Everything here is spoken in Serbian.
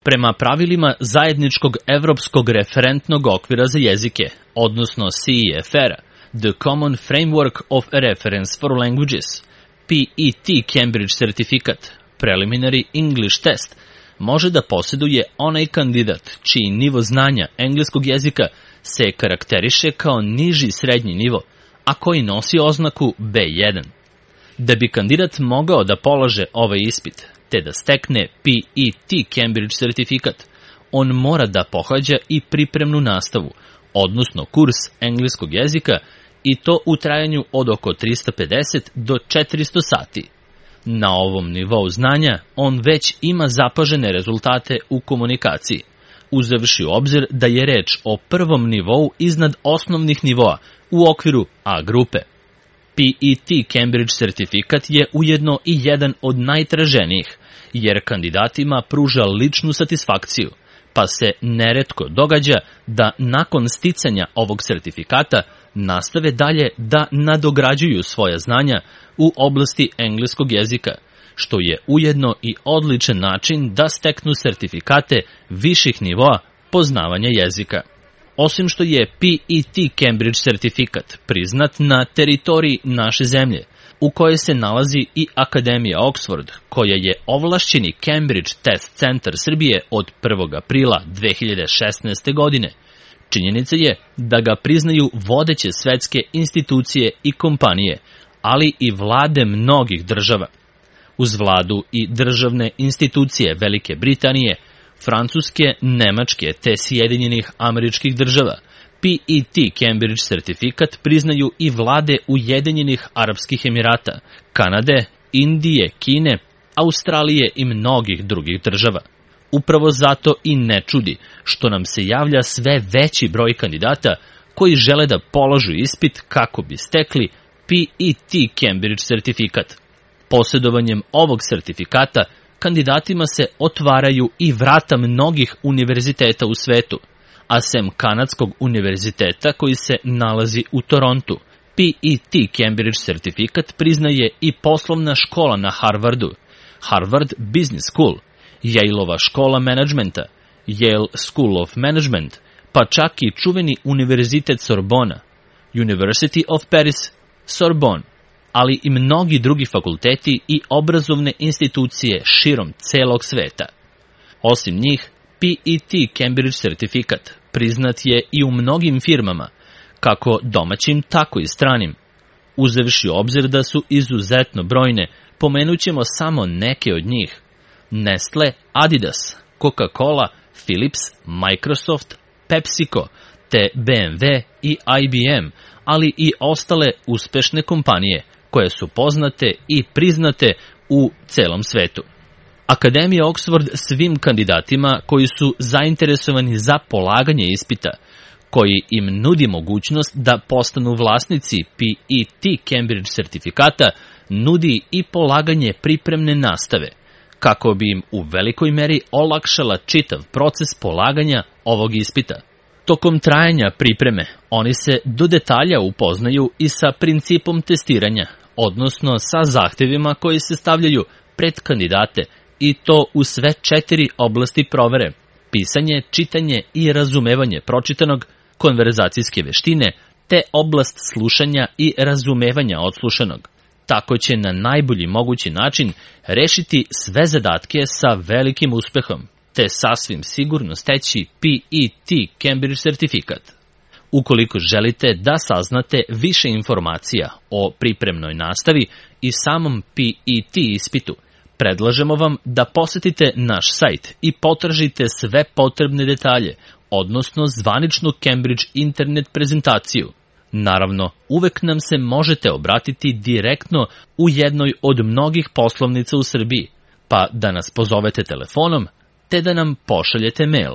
Prema pravilima zajedničkog evropskog referentnog okvira za jezike, odnosno CEFR, The Common Framework of Reference for Languages, PET Cambridge Certificate, Preliminary English Test, može da posjeduje onaj kandidat čiji nivo znanja engleskog jezika se karakteriše kao niži srednji nivo, a koji nosi oznaku B1. Da bi kandidat mogao da polaže ovaj ispit, te da stekne PET Cambridge Certificate, on mora da pohađa i pripremnu nastavu, odnosno kurs engleskog jezika, i to u trajanju od oko 350 do 400 sati. Na ovom nivou znanja on već ima zapažene rezultate u komunikaciji, uzevši u obzir da je reč o prvom nivou iznad osnovnih nivoa u okviru A grupe. PET Cambridge Certificate je ujedno i jedan od najtraženijih, jer kandidatima pruža ličnu satisfakciju, pa se neretko događa da nakon sticanja ovog sertifikata nastave dalje da nadograđuju svoja znanja u oblasti engleskog jezika, što je ujedno i odličan način da steknu sertifikate viših nivoa poznavanja jezika. Osim što je PET Cambridge Certificate priznat na teritoriji naše zemlje, u kojoj se nalazi i Akademija Oxford, koja je ovlašćeni Cambridge Test Centar Srbije od 1. aprila 2016. godine. Činjenica je da ga priznaju vodeće svetske institucije i kompanije, ali i vlade mnogih država. Uz vladu i državne institucije Velike Britanije, Francuske, Nemačke te Sjedinjenih Američkih Država, PET Cambridge Certificate priznaju i vlade Ujedinjenih Arapskih Emirata, Kanade, Indije, Kine, Australije i mnogih drugih država. Upravo zato i ne čudi što nam se javlja sve veći broj kandidata koji žele da polažu ispit kako bi stekli PET Cambridge Certificate. Posjedovanjem ovog sertifikata kandidatima se otvaraju i vrata mnogih univerziteta u svetu, a sem Kanadskog univerziteta koji se nalazi u Torontu, PET Cambridge Certificate priznaje i poslovna škola na Harvardu, Harvard Business School, Yaleova škola menadžmenta, Yale School of Management, pa čak i čuveni univerzitet Sorbona, University of Paris, Sorbonne, ali i mnogi drugi fakulteti i obrazovne institucije širom celog sveta. Osim njih, PET Cambridge Certificate priznat je i u mnogim firmama, kako domaćim, tako i stranim. Uzevši u obzir da su izuzetno brojne, pomenućemo samo neke od njih: Nestle, Adidas, Coca-Cola, Philips, Microsoft, PepsiCo, te BMW i IBM, ali i ostale uspešne kompanije koje su poznate i priznate u celom svetu. Akademija Oxford svim kandidatima koji su zainteresovani za polaganje ispita, koji im nudi mogućnost da postanu vlasnici PET Cambridge sertifikata, nudi i polaganje pripremne nastave, kako bi im u velikoj meri olakšala čitav proces polaganja ovog ispita. Tokom trajanja pripreme, oni se do detalja upoznaju i sa principom testiranja, odnosno sa zahtevima koji se stavljaju pred kandidate, i to u sve 4 oblasti provere: pisanje, čitanje i razumevanje pročitanog, konverzacijske veštine, te oblast slušanja i razumevanja odslušanog. Tako će na najbolji mogući način rešiti sve zadatke sa velikim uspehom, te sasvim sigurno steći PET Cambridge sertifikat. Ukoliko želite da saznate više informacija o pripremnoj nastavi i samom PET ispitu, predlažemo vam da posetite naš sajt i potražite sve potrebne detalje, odnosno zvaničnu Cambridge internet prezentaciju. Naravno, uvek nam se možete obratiti direktno u jednoj od mnogih poslovnica u Srbiji, pa da nas pozovete telefonom, te da nam pošaljete mail.